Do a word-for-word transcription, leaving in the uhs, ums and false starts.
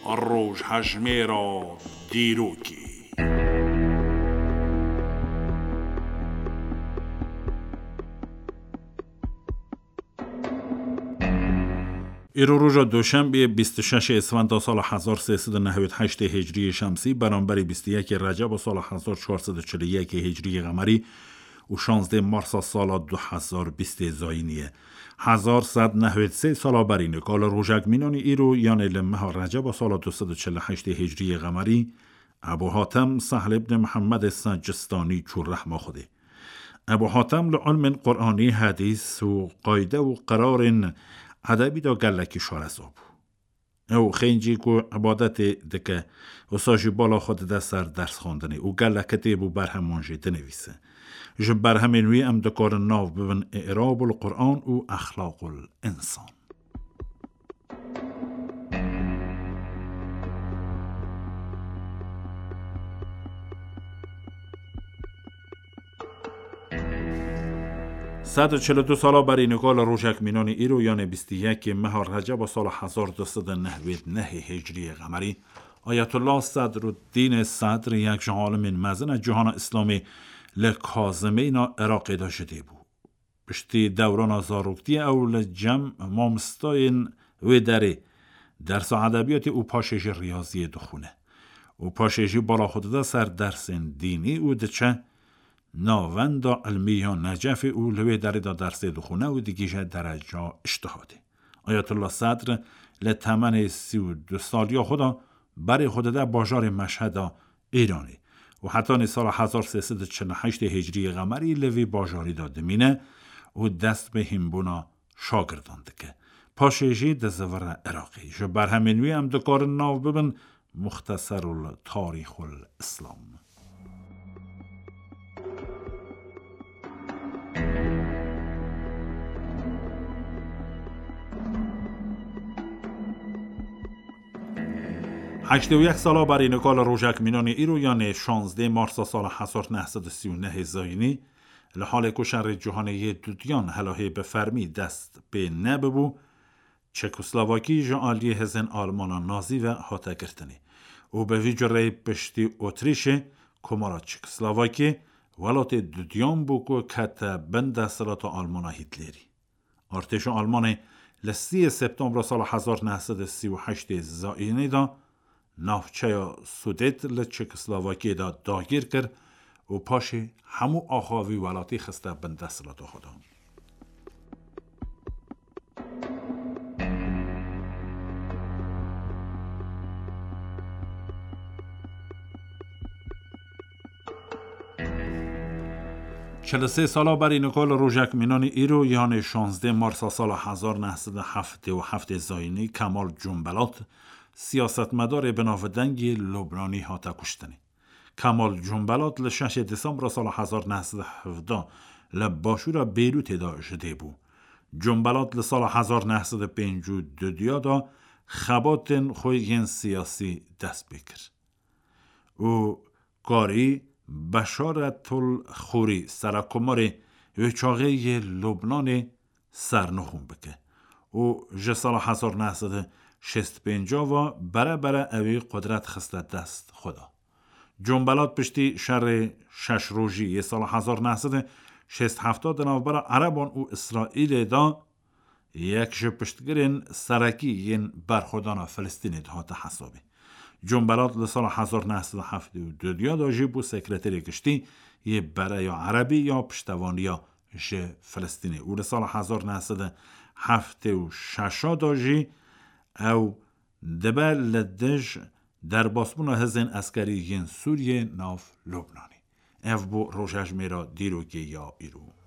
Rojhejmêra dîrokê. Îro roja Doşembeyê, bîst û şeş Îsfenda sala hezar sê sed û nehwêd heştê Hicriyê Şemsî, beramberî bîst û yekê Receba sala hezar çar sed û çil û yekê Hicriyê Qemerî û şazdê Marsa sala du hezar bîstê Zayînî ye. Hezar sed nehwêd sê sala berî nika li rojek mînanî îro, yanê li meha Receba sala du sed û çil û heştê Hicriyê Qemerî, Ebû Hatem Sehl ibn Mihemedê Secistanî çû rehma Xwedê. Ebû Hatem li ilmên Quranî, hedîs û qayde û qirarên edebî de gelekî şareza bû. Ew xêncî ku ibadetê dike, wisa jî bala xwe dide ser dersxwendinê û gelek kitêb û berheman jî dinivîse. Ji berhemên wî em dikarin nav bibin Îrabul Quran û Exlaqul Însan. Sed û çil û du sala berî nika li rojek mînanî îro, yanê bîst û yekê meha Receba sala hezar du sed û nehwêd nehê Hicriyê Qemerî, Ayetullah Sedruddînê Sedr, yek ji alimên mezin a cîhana Îslamê, li Kazimeyna Iraqê de ji dê bû. Piştî dewrana zaroktiyê ew li cem mamostayên wê derê dersa edebiyatê û paşê jî riyaziyê dixwîne. Û paşê jî bala xwe dide ser dersên dînî û diçe navenda ilmî ya Necefê û li wê derê de dersê dixwîne û digihîje dereca îctihadê. Ayetullah Sedr li temenê sî û du saliya xwe de berê xwe dide bajarê Meşheda Îranê û hetanî sala hezar sê sed û çil û heştê Hicriyê Qemerî li vî bajarî de dimîne û dest bi hînbûna şagirdan dike. Paşê jî dizivire Iraqê. Ji berhemên wî em dikarin nav bibin Muxteserul Tarîxul Îslam. Heştê û yek sala berî nika li rojek mînanî îro, yanê şazdê Marsa sala hezar neh sed û sî û nehê Zayînî, li halê ku şerê cîhanê yê dudiyan helahê bi fermî dest pê nebibû, Çekoslovakî ji aliyê hêzên Almana Nazî ve hate girtinê û bi vî cureyê piştî Otrîşê, Komara Çekoslovakî, welatê dudiyan bû ku kete bin desthilata Almana Hîtlerî. Artêşa Almanê li sîyê Septembra sala hezar neh sed û sî û heştê Zayînî de navçeya Sudet li Çekoslovakiyê de dagîr kir û paşê hemû axa vî welatî xiste bin desthilata xwe de. Çil û sê sala berî nika li rojek mînanî îro, yanê şazdê Marsa sala hezar neh sed û heftê û heftê Zayînî, Kemal Cumbelat, siyasetmedarê binavdengê Lubnanî hate kuştinê. Kemal Cumbelat li şeşê Dîsembra sala hezar neh sed û hevdeh li başûra Beyrûtê de ji dê bû. Cumbelat li sala hezar neh sed û pêncî û du diya de xebatên xwe yên siyasî dest pê kir û karî Beşaretul Xûrî, serekkomarê wê çaxê yê Lubnanê, sernixûn bike û ji sala hezar neh sed û şêst û pênc ve bere bere ewî qudret xiste dest xwe de. Cumbelat piştî şerê şeş rojî yê sala hezar neh sed û şêst hefta di navbera Ereban û Îsraîlê de yek ji piştgirên serekî yên berxwedana Filistînê dihate hesabê. Cumbelat li sala hezar neh sed û heftê û du diya de jî bû sekreterê giştî yê Bereya Erebî ya piştevaniya ji Filistînê û li sala hezar neh sed û heftê û şeş de jî ew dibe li dij derbasbûna hêzên eskerî yên Sûriyê nav Lubnanê. Ev bû rojhejmêra dîrokê ya îro.